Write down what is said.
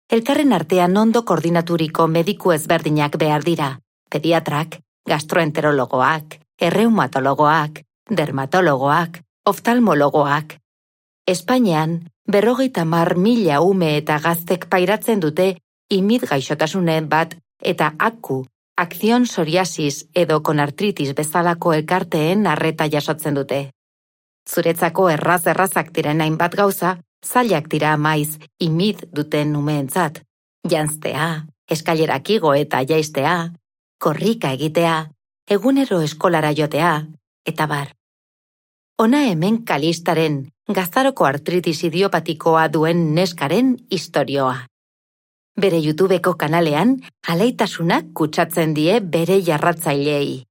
elkarren artean ondo koordinaturiko mediku ezberdinak behar dira, pediatrak, gastroenterologoak, erreumatologoak, dermatologoak, oftalmologoak. Espainian, 50.000 ume eta gaztek pairatzen dute imid gaixotasunen bat eta AKU, akzion psoriasis edo konartritis bezalako elkarteen arreta jasotzen dute. Zuretzako errazak diren hainbat gauza, zailak dira maiz imid duten umeentzat. Janztea, eskailerak igo eta jaistea, korrika egitea, egunero eskolara jotea, eta bar. Hona hemen Kalistaren, gaztaroko artritis idiopatikoa duen neskaren istorioa. Bere YouTubeko kanalean, alaitasunak kutsatzen die bere jarratzaileei.